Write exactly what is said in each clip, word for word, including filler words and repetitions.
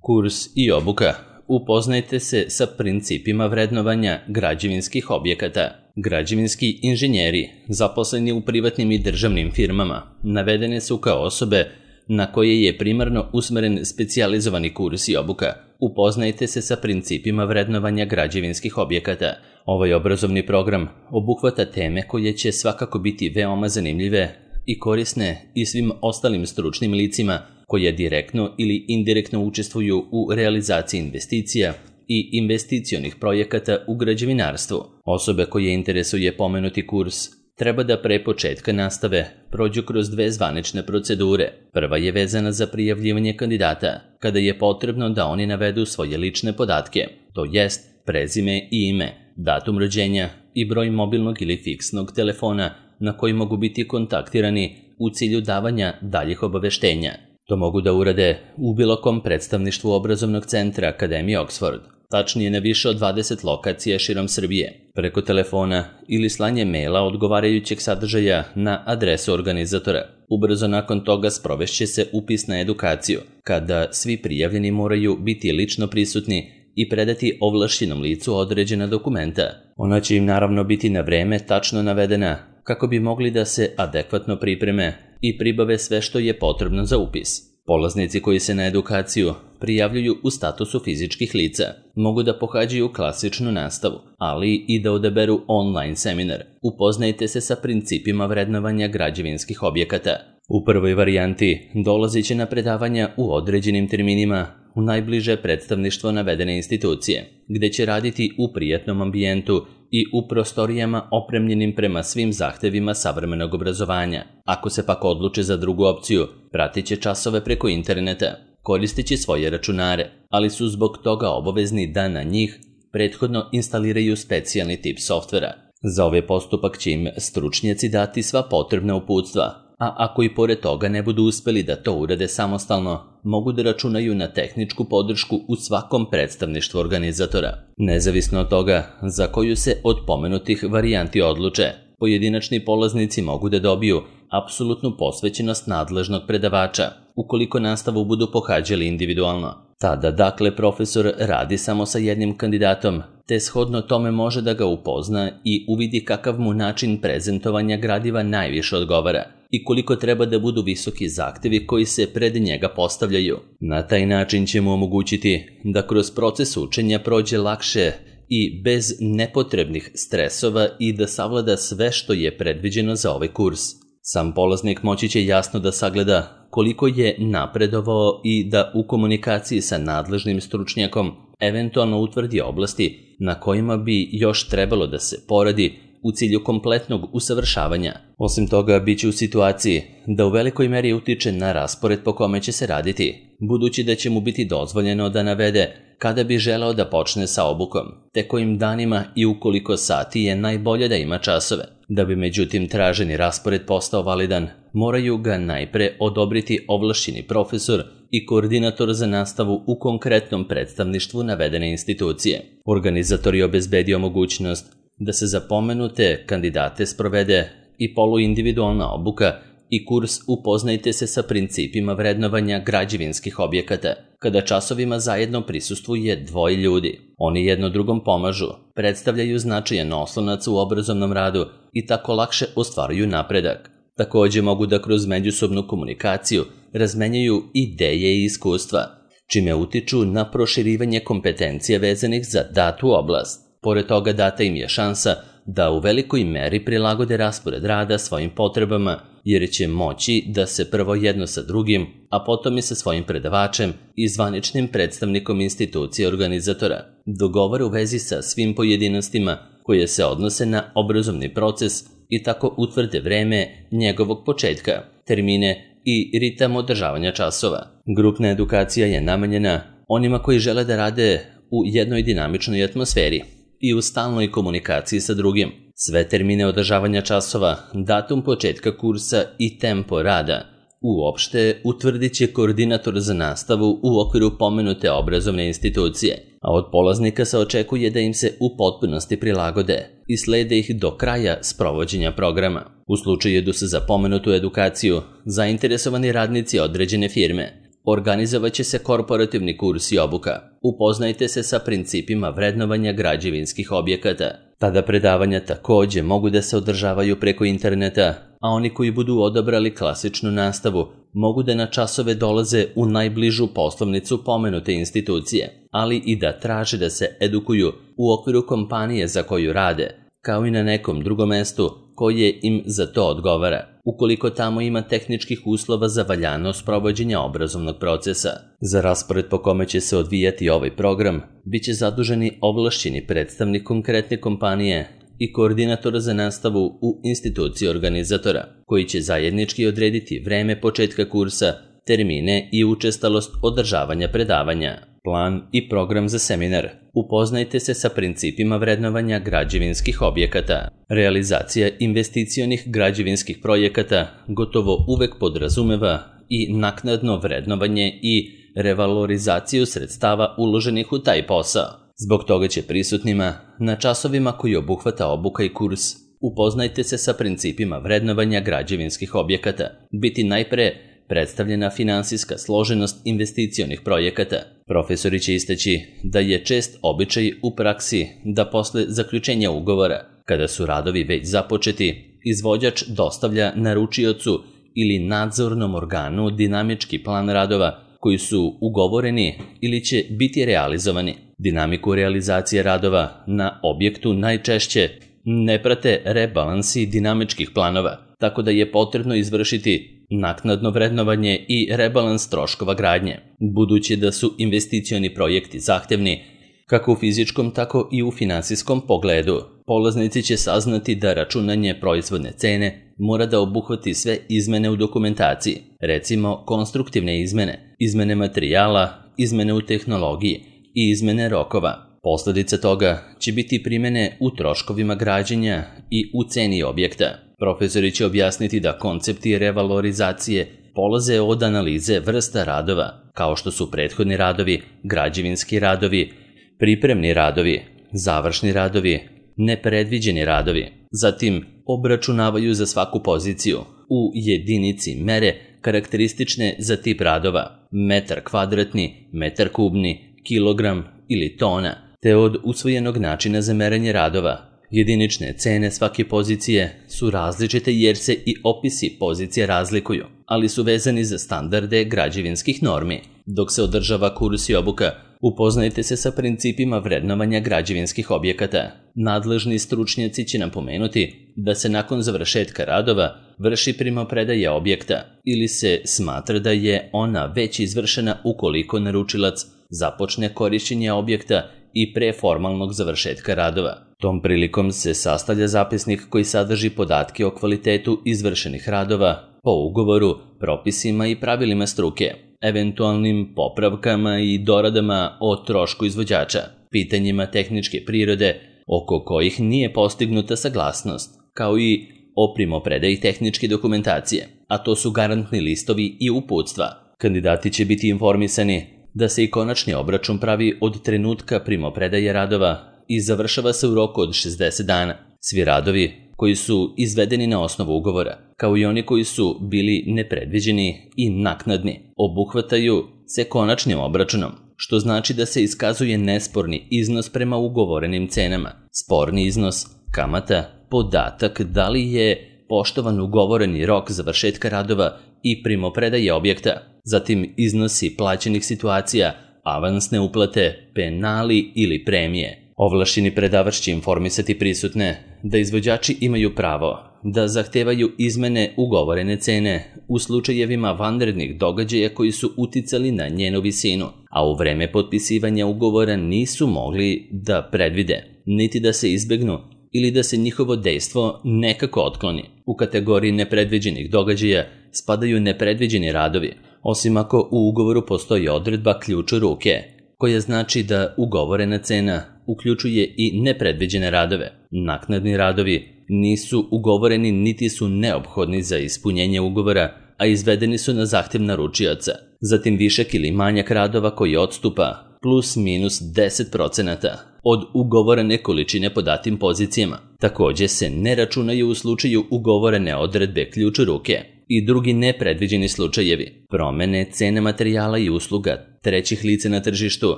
Kurs i obuka. Upoznajte se sa principima vrednovanja građevinskih objekata. Građevinski inženjeri, zaposleni u privatnim i državnim firmama, navedene su kao osobe na koje je primarno usmeren specijalizovani kurs i obuka. Upoznajte se sa principima vrednovanja građevinskih objekata. Ovaj obrazovni program obuhvata teme koje će svakako biti veoma zanimljive i korisne i svim ostalim stručnim licima koje direktno ili indirektno učestvuju u realizaciji investicija i investicionih projekata u građevinarstvu. Osobe koje interesuje pomenuti kurs treba da pre početka nastave prođu kroz dve zvanične procedure. Prva je vezana za prijavljivanje kandidata, kada je potrebno da oni navedu svoje lične podatke, to jest prezime i ime, datum rođenja i broj mobilnog ili fiksnog telefona na koji mogu biti kontaktirani u cilju davanja daljih obaveštenja. To mogu da urade u bilo kom predstavništvu obrazovnog centra Akademije Oxford, tačnije na više od dvadeset lokacija širom Srbije, preko telefona ili slanje maila odgovarajućeg sadržaja na adresu organizatora. Ubrzo nakon toga sprovešće se upis na edukaciju, kada svi prijavljeni moraju biti lično prisutni i predati ovlašćenom licu određena dokumenta. Ona će im naravno biti na vreme tačno navedena kako bi mogli da se adekvatno pripreme i pribave sve što je potrebno za upis. Polaznici koji se na edukaciju prijavljuju u statusu fizičkih lica mogu da pohađaju klasičnu nastavu, ali i da odaberu online seminar. Upoznajte se sa principima vrednovanja građevinskih objekata. U prvoj varijanti dolazit će na predavanja u određenim terminima u najbliže predstavništvo navedene institucije, gde će raditi u prijatnom ambijentu i u prostorijama opremljenim prema svim zahtevima savremenog obrazovanja. Ako se pak odluče za drugu opciju, pratit će časove preko interneta, koristeći svoje računare, ali su zbog toga obavezni da na njih prethodno instaliraju specijalni tip softvera. Za ovaj postupak će im stručnjaci dati sva potrebna uputstva, a ako i pored toga ne budu uspeli da to urade samostalno, mogu da računaju na tehničku podršku u svakom predstavništvu organizatora. Nezavisno od toga za koju se od pomenutih varijanti odluče, pojedinačni polaznici mogu da dobiju apsolutnu posvećenost nadležnog predavača, ukoliko nastavu budu pohađali individualno. Tada, dakle, profesor radi samo sa jednim kandidatom, te shodno tome može da ga upozna i uvidi kakav mu način prezentovanja gradiva najviše odgovara i koliko treba da budu visoki zahtevi koji se pred njega postavljaju. Na taj način će mu omogućiti da kroz proces učenja prođe lakše i bez nepotrebnih stresova i da savlada sve što je predviđeno za ovaj kurs. Sam polaznik moći će jasno da sagleda koliko je napredovao i da u komunikaciji sa nadležnim stručnjakom eventualno utvrdi oblasti na kojima bi još trebalo da se poradi u cilju kompletnog usavršavanja. Osim toga, bit će u situaciji da u velikoj meri utiče na raspored po kome će se raditi, budući da će mu biti dozvoljeno da navede kada bi želeo da počne sa obukom, te kojim danima i u koliko sati je najbolje da ima časove. Da bi međutim traženi raspored postao validan, moraju ga najpre odobriti ovlašćeni profesor i koordinator za nastavu u konkretnom predstavništvu navedene institucije. Organizator je obezbedio mogućnost da se za pomenute kandidate sprovede i poluindividualna obuka i kurs Upoznajte se sa principima vrednovanja građevinskih objekata, kada časovima zajedno prisustvuje dvoje ljudi. Oni jedno drugom pomažu, predstavljaju značajan oslonac u obrazovnom radu i tako lakše ostvaruju napredak. Takođe mogu da kroz međusobnu komunikaciju razmenjuju ideje i iskustva, čime utiču na proširivanje kompetencija vezanih za datu oblast. Pored toga data im je šansa da u velikoj meri prilagode raspored rada svojim potrebama, jer će moći da se prvo jedno sa drugim, a potom i sa svojim predavačem i zvaničnim predstavnikom institucije organizatora dogovore u vezi sa svim pojedinostima koje se odnose na obrazovni proces i tako utvrde vreme njegovog početka, termine i ritam održavanja časova. Grupna edukacija je namenjena onima koji žele da rade u jednoj dinamičnoj atmosferi i u stalnoj komunikaciji sa drugim. Sve termine održavanja časova, datum početka kursa i tempo rada uopšte utvrdit će koordinator za nastavu u okviru pomenute obrazovne institucije, a od polaznika se očekuje da im se u potpunosti prilagode i slede ih do kraja sprovođenja programa. U slučaju da su za pomenutu edukaciju zainteresovani radnici određene firme, Organizovaće se korporativni kurs i obuka. Upoznajte se sa principima vrednovanja građevinskih objekata. Tada predavanja takođe mogu da se održavaju preko interneta, a oni koji budu odabrali klasičnu nastavu mogu da na časove dolaze u najbližu poslovnicu pomenute institucije, ali i da traže da se edukuju u okviru kompanije za koju rade, kao i na nekom drugom mestu koje im za to odgovara, ukoliko tamo ima tehničkih uslova za valjanost provođenja obrazovnog procesa. Za raspored po kome će se odvijati ovaj program, bit će zaduženi ovlašćeni predstavnik konkretne kompanije i koordinator za nastavu u instituciji organizatora, koji će zajednički odrediti vreme početka kursa, termine i učestalost održavanja predavanja. Plan i program za seminar. Upoznajte se sa principima vrednovanja građevinskih objekata. Realizacija investicionih građevinskih projekata gotovo uvek podrazumeva i naknadno vrednovanje i revalorizaciju sredstava uloženih u taj posao. Zbog toga će prisutnima na časovima koji obuhvata obuka i kurs upoznajte se sa principima vrednovanja građevinskih objekata biti najpre predstavljena finansijska složenost investicionih projekata. Profesori će istaći da je čest običaj u praksi da posle zaključenja ugovora, kada su radovi već započeti, izvođač dostavlja naručiocu ili nadzornom organu dinamički plan radova koji su ugovoreni ili će biti realizovani. Dinamiku realizacije radova na objektu najčešće ne prate rebalansi dinamičkih planova, tako da je potrebno izvršiti naknadno vrednovanje i rebalans troškova gradnje. Budući da su investicioni projekti zahtevni, kako u fizičkom, tako i u finansijskom pogledu, polaznici će saznati da računanje proizvodne cene mora da obuhvati sve izmene u dokumentaciji, recimo konstruktivne izmene, izmene materijala, izmene u tehnologiji i izmene rokova. Posledica toga će biti primene u troškovima građenja i u ceni objekta. Profesori će objasniti da koncepti revalorizacije polaze od analize vrsta radova, kao što su prethodni radovi, građevinski radovi, pripremni radovi, završni radovi, nepredviđeni radovi. Zatim obračunavaju za svaku poziciju u jedinici mere karakteristične za tip radova, metar kvadratni, metar kubni, kilogram ili tona, te od usvojenog načina za merenje radova. Jedinične cene svake pozicije su različite jer se i opisi pozicije razlikuju, ali su vezani za standarde građevinskih normi. Dok se održava kurs i obuka, upoznajte se sa principima vrednovanja građevinskih objekata. Nadležni stručnjaci će napomenuti da se nakon završetka radova vrši primopredaja objekta ili se smatra da je ona već izvršena ukoliko naručilac započne korišćenje objekta i pre formalnog završetka radova. Tom prilikom se sastavlja zapisnik koji sadrži podatke o kvalitetu izvršenih radova po ugovoru, propisima i pravilima struke, eventualnim popravkama i doradama o trošku izvođača, pitanjima tehničke prirode oko kojih nije postignuta saglasnost, kao i o primopredaji tehničke dokumentacije, a to su garantni listovi i uputstva. Kandidati će biti informisani da se i konačni obračun pravi od trenutka primopredaje radova i završava se u roku od šezdeset dana. Svi radovi koji su izvedeni na osnovu ugovora, kao i oni koji su bili nepredviđeni i naknadni, obuhvataju se konačnim obračunom, što znači da se iskazuje nesporni iznos prema ugovorenim cenama, sporni iznos, kamata, podatak da li je poštovan ugovoreni rok završetka radova i primopredaje objekta, zatim iznosi plaćenih situacija, avansne uplate, penali ili premije. Ovlašćeni predavač će informisati prisutne da izvođači imaju pravo da zahtevaju izmene ugovorene cene u slučajevima vanrednih događaja koji su uticali na njenu visinu, a u vreme potpisivanja ugovora nisu mogli da predvide, niti da se izbegnu ili da se njihovo dejstvo nekako otkloni. U kategoriji nepredviđenih događaja spadaju nepredviđeni radovi, osim ako u ugovoru postoji odredba ključ u ruke, koja znači da ugovorena cena uključuje i nepredviđene radove. Naknadni radovi nisu ugovoreni niti su neophodni za ispunjenje ugovora, a izvedeni su na zahtev naručioca. Zatim višak ili manjak radova koji odstupa plus minus deset procenata od ugovorene količine po datim pozicijama. Takođe se ne računaju u slučaju ugovorene odredbe ključ u ruke. i drugi nepredviđeni slučajevi, promene cene materijala i usluga, trećih lica na tržištu,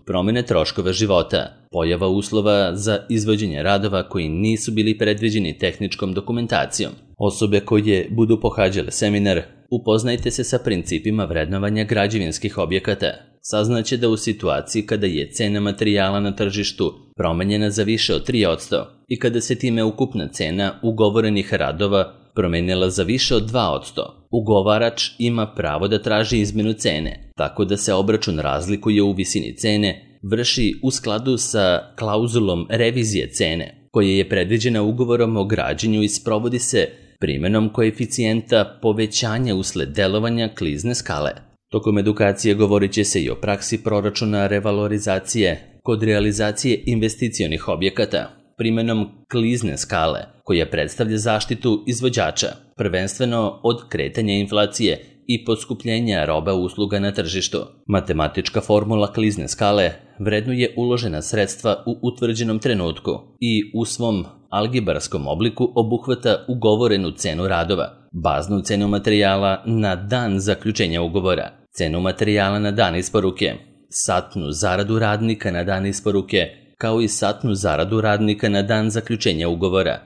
promene troškova života, pojava uslova za izvođenje radova koji nisu bili predviđeni tehničkom dokumentacijom. Osobe koje budu pohađale seminar, upoznajte se sa principima vrednovanja građevinskih objekata. Saznaće da u situaciji kada je cena materijala na tržištu promenjena za više od tri posto i kada se time ukupna cena ugovorenih radova promenila za više od dva posto, ugovarač ima pravo da traži izmenu cene, tako da se obračun razlikuje u visini cene, vrši u skladu sa klauzulom revizije cene, koja je predviđena ugovorom o građenju i sprovodi se primenom koeficijenta povećanja usled delovanja klizne skale. Tokom edukacije govorit će se i o praksi proračuna revalorizacije kod realizacije investicionih objekata, primenom klizne skale, koja predstavlja zaštitu izvođača, prvenstveno od kretanja inflacije i poskupljenja roba usluga na tržištu. Matematička formula klizne skale vrednuje uložena sredstva u utvrđenom trenutku i u svom algebarskom obliku obuhvata ugovorenu cenu radova, baznu cenu materijala na dan zaključenja ugovora, cenu materijala na dan isporuke, satnu zaradu radnika na dan isporuke, kao i satnu zaradu radnika na dan zaključenja ugovora,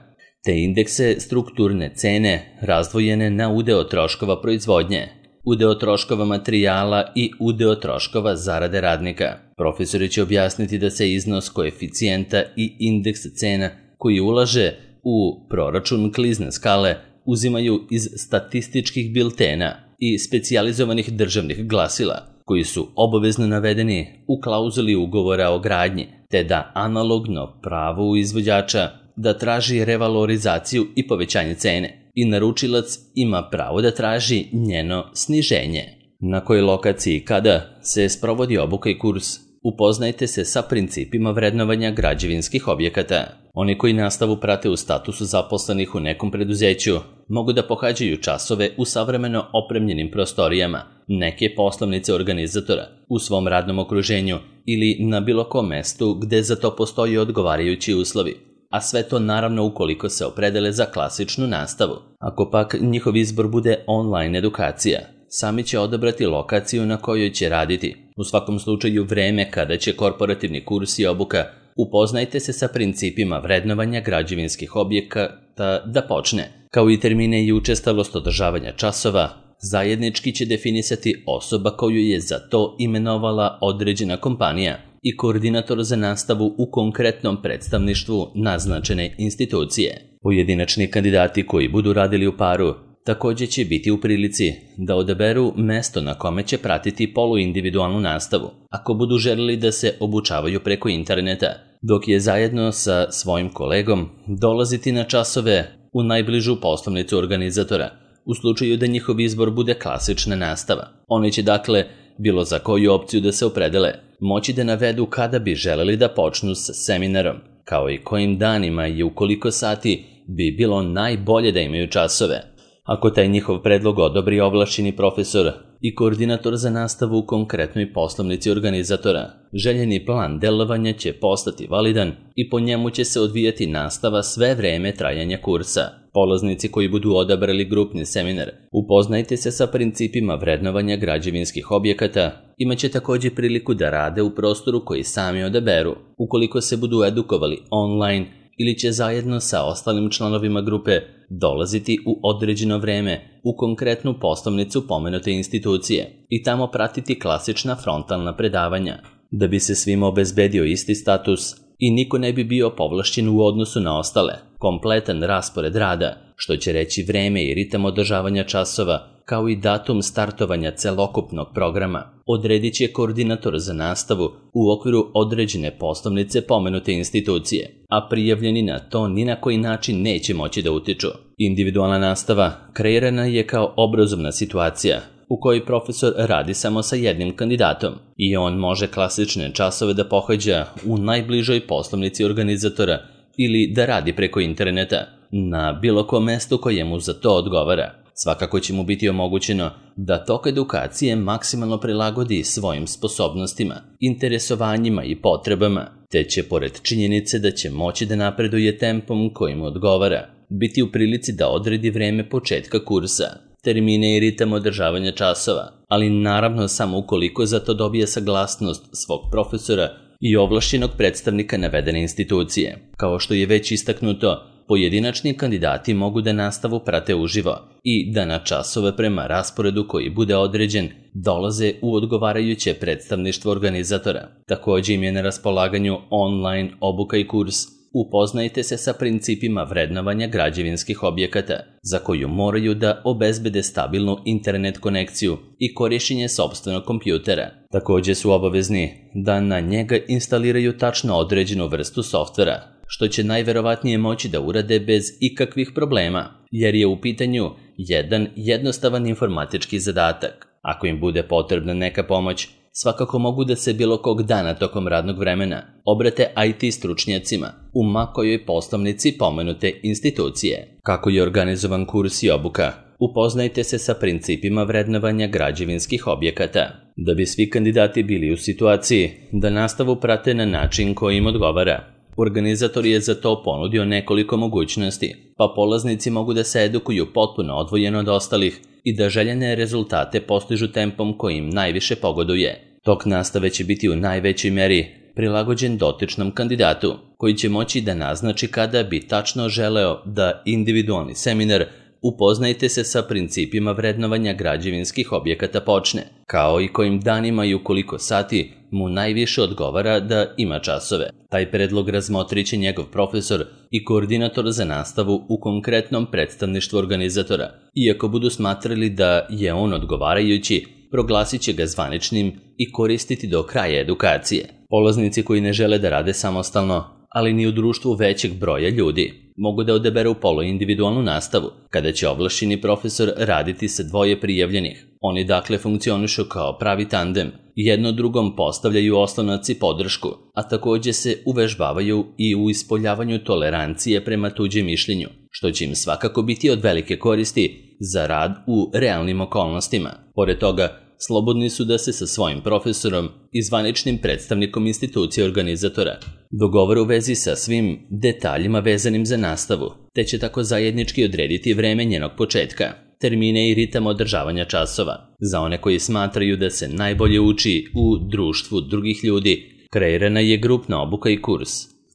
te indekse strukturne cene razdvojene na udeo troškova proizvodnje, udeo troškova materijala i udeo troškova zarade radnika. Profesori će objasniti da se iznos koeficijenta i indeks cena koji ulaže u proračun klizne skale uzimaju iz statističkih biltena i specijalizovanih državnih glasila, koji su obavezno navedeni u klauzuli ugovora o gradnji, te da analogno pravo izvođača da traži revalorizaciju i povećanje cene i naručilac ima pravo da traži njeno sniženje. Na kojoj lokaciji i kada se sprovodi obuka i kurs, upoznajte se sa principima vrednovanja građevinskih objekata. Oni koji nastavu prate u statusu zaposlenih u nekom preduzeću mogu da pohađaju časove u savremeno opremljenim prostorijama neke poslovnice organizatora u svom radnom okruženju ili na bilo kom mestu gde za to postoji odgovarajući uslovi, a sve to naravno ukoliko se opredele za klasičnu nastavu. Ako pak njihov izbor bude online edukacija, sami će odabrati lokaciju na kojoj će raditi. U svakom slučaju vreme kada će korporativni kurs i obuka upoznajte se sa principima vrednovanja građevinskih objekata da počne, kao i termine i učestalost održavanja časova, zajednički će definisati osoba koju je za to imenovala određena kompanija i koordinator za nastavu u konkretnom predstavništvu naznačene institucije. Pojedinačni kandidati koji budu radili u paru također će biti u prilici da odaberu mesto na kome će pratiti poluindividualnu nastavu, ako budu želeli da se obučavaju preko interneta, dok je zajedno sa svojim kolegom dolaziti na časove u najbližu poslovnicu organizatora, u slučaju da njihov izbor bude klasična nastava. Oni će dakle, bilo za koju opciju da se opredele, moći da navedu kada bi želeli da počnu s seminarom, kao i kojim danima i u koliko sati bi bilo najbolje da imaju časove. Ako taj njihov predlog odobri ovlašćeni profesor i koordinator za nastavu u konkretnoj poslovnici organizatora, željeni plan delovanja će postati validan i po njemu će se odvijati nastava sve vreme trajanja kursa. Polaznici koji budu odabrali grupni seminar, upoznajte se sa principima vrednovanja građevinskih objekata, imaće također priliku da rade u prostoru koji sami odaberu, ukoliko se budu edukovali online ili će zajedno sa ostalim članovima grupe dolaziti u određeno vreme u konkretnu poslovnicu pomenute institucije i tamo pratiti klasična frontalna predavanja. Da bi se svima obezbedio isti status i niko ne bi bio povlašćen u odnosu na ostale, kompletan raspored rada, što će reći vreme i ritam održavanja časova, kao i datum startovanja celokupnog programa, odredit će koordinator za nastavu u okviru određene poslovnice pomenute institucije, a prijavljeni na to ni na koji način neće moći da utiču. Individualna nastava kreirana je kao obrazovna situacija u kojoj profesor radi samo sa jednim kandidatom i on može klasične časove da pohađa u najbližoj poslovnici organizatora ili da radi preko interneta na bilo kom mestu koje mu za to odgovara. Svakako će mu biti omogućeno da tok edukacije maksimalno prilagodi svojim sposobnostima, interesovanjima i potrebama, te će pored činjenice da će moći da napreduje tempom koji mu odgovara, biti u prilici da odredi vreme početka kursa. termine i ritam održavanja časova, ali naravno samo ukoliko za to dobije saglasnost svog profesora i ovlašćenog predstavnika navedene institucije. Kao što je već istaknuto, pojedinačni kandidati mogu da nastavu prate uživo i da na časove prema rasporedu koji bude određen dolaze u odgovarajuće predstavništvo organizatora. Takođe im je na raspolaganju online obuka i kurs Upoznajte se sa principima vrednovanja građevinskih objekata, za koju moraju da obezbede stabilnu internet konekciju i korišćenje sopstvenog kompjutera. Takođe su obavezni da na njega instaliraju tačno određenu vrstu softvera, što će najverovatnije moći da urade bez ikakvih problema, jer je u pitanju jedan jednostavan informatički zadatak. Ako im bude potrebna neka pomoć, svakako mogu da se bilo kog dana tokom radnog vremena obrate I T stručnjacima u ma kojoj poslovnici pomenute institucije. Kako je organizovan kurs i obuka? Upoznajte se sa principima vrednovanja građevinskih objekata. Da bi svi kandidati bili u situaciji da nastavu prate na način koji im odgovara, organizator je za to ponudio nekoliko mogućnosti, pa polaznici mogu da se edukuju potpuno odvojeno od ostalih i da željene rezultate postižu tempom koji im najviše pogoduje. Tok nastave će biti u najvećoj meri prilagođen dotičnom kandidatu, koji će moći da naznači kada bi tačno želeo da individualni seminar Upoznajte se sa principima vrednovanja građevinskih objekata počne, kao i kojim danima i u koliko sati mu najviše odgovara da ima časove. Taj predlog razmotrit će njegov profesor i koordinator za nastavu u konkretnom predstavništvu organizatora. Iako budu smatrali da je on odgovarajući, proglasit će ga zvaničnim i koristiti do kraja edukacije. Polaznici koji ne žele da rade samostalno, ali ni u društvu većeg broja ljudi, mogu da odaberu poluindividualnu nastavu, kada će ovlašćeni profesor raditi sa dvoje prijavljenih. Oni dakle funkcionišu kao pravi tandem, jedno drugom postavljaju oslonac i podršku, a takođe se uvežbavaju i u ispoljavanju tolerancije prema tuđem mišljenju, što će im svakako biti od velike koristi za rad u realnim okolnostima. Pored toga, slobodni su da se sa svojim profesorom i zvaničnim predstavnikom institucije organizatora dogovore u vezi sa svim detaljima vezanim za nastavu, te će tako zajednički odrediti vreme njenog početka, termine i ritam održavanja časova. Za one koji smatraju da se najbolje uči u društvu drugih ljudi, kreirana je grupna obuka i kurs.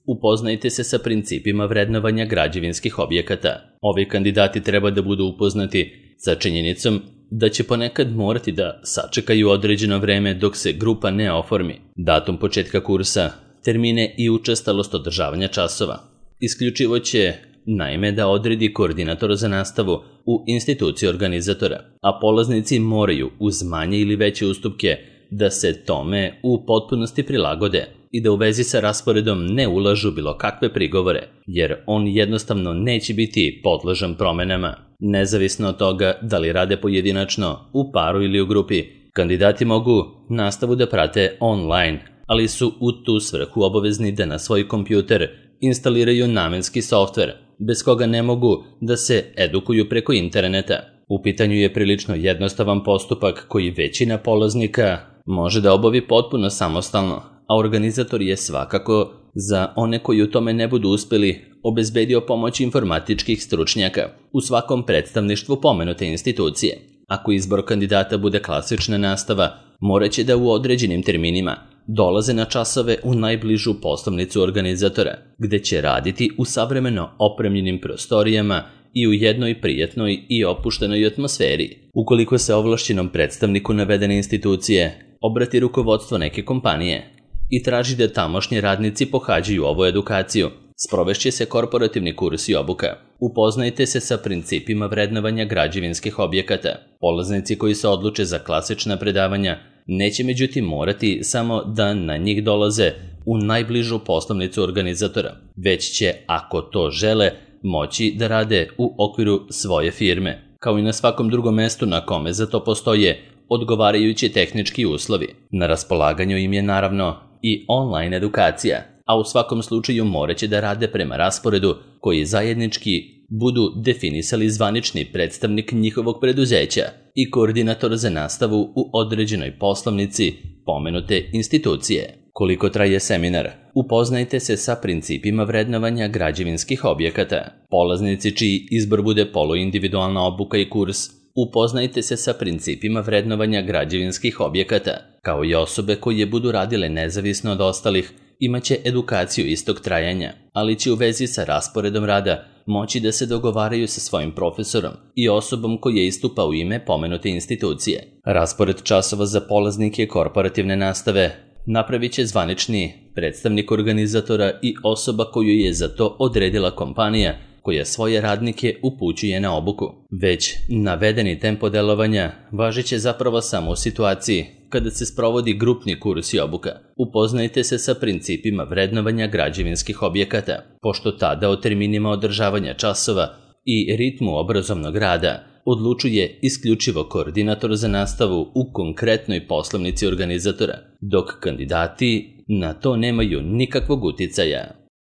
Upoznajte se sa principima vrednovanja građevinskih objekata. Ovi kandidati treba da budu upoznati sa činjenicom da će ponekad morati da sačekaju određeno vreme dok se grupa ne oformi, datum početka kursa, termine i učestalost održavanja časova. Isključivo će, naime, da odredi koordinator za nastavu u instituciji organizatora, a polaznici moraju uz manje ili veće ustupke da se tome u potpunosti prilagode i da u vezi sa rasporedom ne ulažu bilo kakve prigovore, jer on jednostavno neće biti podložan promenama. Nezavisno od toga da li rade pojedinačno, u paru ili u grupi, kandidati mogu nastavu da prate online, ali su u tu svrhu obavezni da na svoj kompjuter instaliraju namenski softver, bez koga ne mogu da se edukuju preko interneta. U pitanju je prilično jednostavan postupak koji većina polaznika može da obavi potpuno samostalno, a organizator je svakako za one koji u tome ne budu uspeli obezbedio pomoć informatičkih stručnjaka u svakom predstavništvu pomenute institucije. Ako izbor kandidata bude klasična nastava, moraće da u određenim terminima dolaze na časove u najbližu poslovnicu organizatora, gde će raditi u savremeno opremljenim prostorijama i u jednoj prijatnoj i opuštenoj atmosferi. Ukoliko se ovlašćenom predstavniku navedene institucije obrati rukovodstvo neke kompanije i traži da tamošnji radnici pohađaju ovu edukaciju, sprovešće se korporativni kurs i obuka. Upoznajte se sa principima vrednovanja građevinskih objekata. Polaznici koji se odluče za klasična predavanja neće međutim morati samo da na njih dolaze u najbližu poslovnicu organizatora, već će, ako to žele, moći da rade u okviru svoje firme, kao i na svakom drugom mestu na kome za to postoje odgovarajući tehnički uslovi. Na raspolaganju im je naravno i online edukacija, a u svakom slučaju moraće da rade prema rasporedu koji zajednički budu definisali zvanični predstavnik njihovog preduzeća i koordinator za nastavu u određenoj poslovnici pomenute institucije. Koliko traje seminar? Upoznajte se sa principima vrednovanja građevinskih objekata. Polaznici čiji izbor bude poluindividualna obuka i kurs Upoznajte se sa principima vrednovanja građevinskih objekata. Kao i osobe koje budu radile nezavisno od ostalih, imaće edukaciju istog trajanja, ali će u vezi sa rasporedom rada moći da se dogovaraju sa svojim profesorom i osobom koja istupa u ime pomenute institucije. Raspored časova za polaznike korporativne nastave napravit će zvanični predstavnik organizatora i osoba koju je za to odredila kompanija koja svoje radnike upućuje na obuku. Već navedeni tempo delovanja važit će zapravo samo u situaciji kada se sprovodi grupni kurs i obuka. Upoznajte se sa principima vrednovanja građevinskih objekata, pošto tada o terminima održavanja časova i ritmu obrazovnog rada odlučuje isključivo koordinator za nastavu u konkretnoj poslovnici organizatora, dok kandidati na to nemaju nikakvog uticaja.